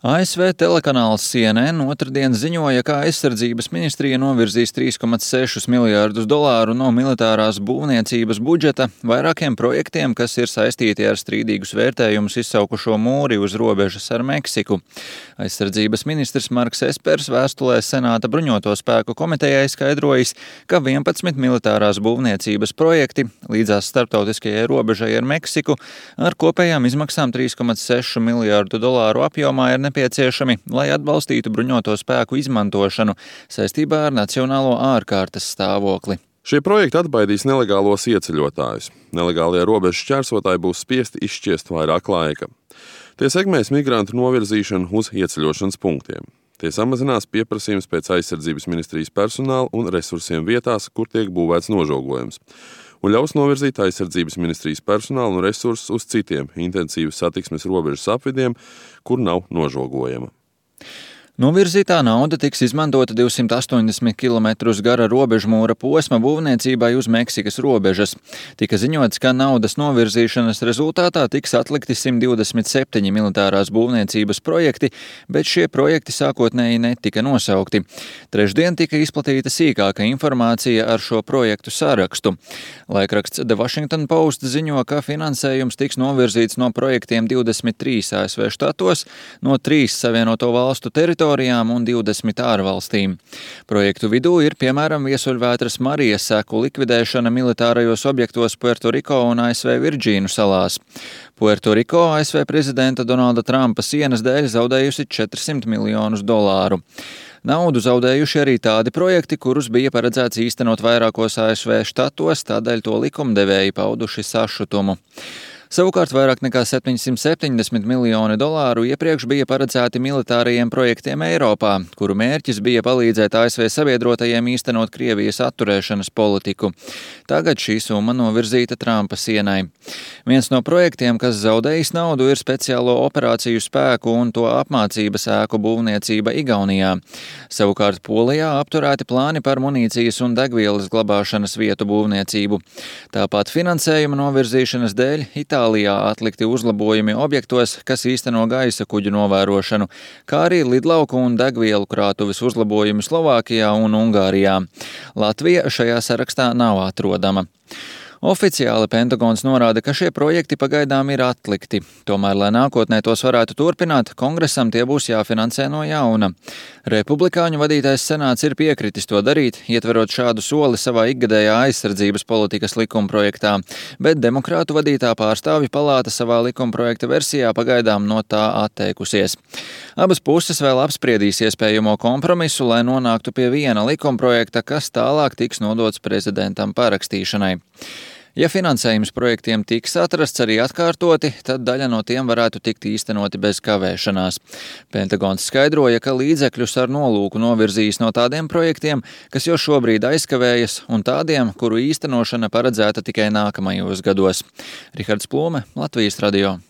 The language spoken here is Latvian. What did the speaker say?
ASV telekanāls CNN otrdien ziņoja, ka aizsardzības ministrija novirzīs $3,6 miljārdus no militārās būvniecības budžeta vairākiem projektiem, kas ir saistīti ar strīdīgus vērtējumus izsaukušo mūri uz robežas ar Meksiku. Aizsardzības ministrs Marks Espers vēstulē Senāta bruņoto spēku komitejai skaidrojis, ka 11 militārās būvniecības projekti līdzās starptautiskajai robežai ar Meksiku ar kopējām izmaksām $3,6 miljārdu apjomā ir nepieciešami, lai atbalstītu bruņoto spēku izmantošanu saistībā ar nacionālo ārkārtas stāvokli. Šie projekti atbaidīs nelegālos ieceļotājus. Nelegālie robežu šķērsotāji būs spiesti izšķiest vairāk laika. Tie segmēs migrantu novirzīšanu uz ieceļošanas punktiem. Tie samazinās pieprasījums pēc aizsardzības ministrijas personāla un resursiem vietās, kur tiek būvēts nožogojums, un ļaus novirzīt aizsardzības ministrijas personālu un resursus uz citiem intensīvas satiksmes robežas apvidiem, kur nav nožogojama. Novirzītā nauda tiks izmantota 280 km gara robežmūra posma būvniecībai uz Meksikas robežas. Tika ziņots, ka naudas novirzīšanas rezultātā tiks atlikti 127 militārās būvniecības projekti, bet šie projekti sākotnēji netika nosaukti. Trešdien tika izplatīta sīkāka informācija ar šo projektu sarakstu. Laikraksts The Washington Post ziņo, ka finansējums tiks novirzīts no projektiem 23 ASV štatos, no 3 Savienoto valstu teritorijām un 20 ārvalstīm. Projektu vidū ir, piemēram, viesuļvētras Marijas seku likvidēšana militārajos objektos Puertoriko un ASV Virģīnu salās. Puertoriko ASV prezidenta Donalda Trumpa sienas dēļ zaudējusi $400 miljonus. Naudu zaudējuši arī tādi projekti, kurus bija paredzēts īstenot vairākos ASV štatos, tādēļ to likumdevēji pauduši sašutumu. Savukārt vairāk nekā $770 miljoni iepriekš bija paredzēti militārajiem projektiem Eiropā, kuru mērķis bija palīdzēt ASV sabiedrotajiem īstenot Krievijas atturēšanas politiku. Tagad šī summa novirzīta Trumpa sienai. Viens no projektiem, kas zaudējis naudu, ir speciālo operāciju spēku un to apmācības ēku būvniecība Igaunijā. Savukārt Polijā apturēti plāni par munīcijas un degvielas glabāšanas vietu būvniecību. Tāpat finansējuma novirzīšanas dēļ Itālijā atlikti uzlabojumi objektos, kas īsteno gaisa kuģu novērošanu, kā arī lidlauku un degvielu krātuves uzlabojumi Slovākijā un Ungārijā. Latvija šajā sarakstā nav atrodama. Oficiāli Pentagons norāda, ka šie projekti pagaidām ir atlikti. Tomēr, lai nākotnē tos varētu turpināt, Kongresam tie būs jāfinansē no jauna. Republikāņu vadītais senāts ir piekritis to darīt, ietverot šādu soli savā ikgadējā aizsardzības politikas likumprojektā, bet demokrātu vadītā pārstāvju palāta savā likumprojekta versijā pagaidām no tā atteikusies. Abas puses vēl apspriedīs iespējamo kompromisu, lai nonāktu pie viena likumprojekta, kas tālāk tiks nodots prezidentam parakstīšanai. Ja finansējums projektiem tiks atrasts arī atkārtoti, tad daļa no tiem varētu tikt īstenoti bez kavēšanās. Pentagons skaidroja, ka līdzekļus ar nolūku novirzīs no tādiem projektiem, kas jau šobrīd aizkavējas, un tādiem, kuru īstenošana paredzēta tikai nākamajos gados. Rihards Plūme, Latvijas radio.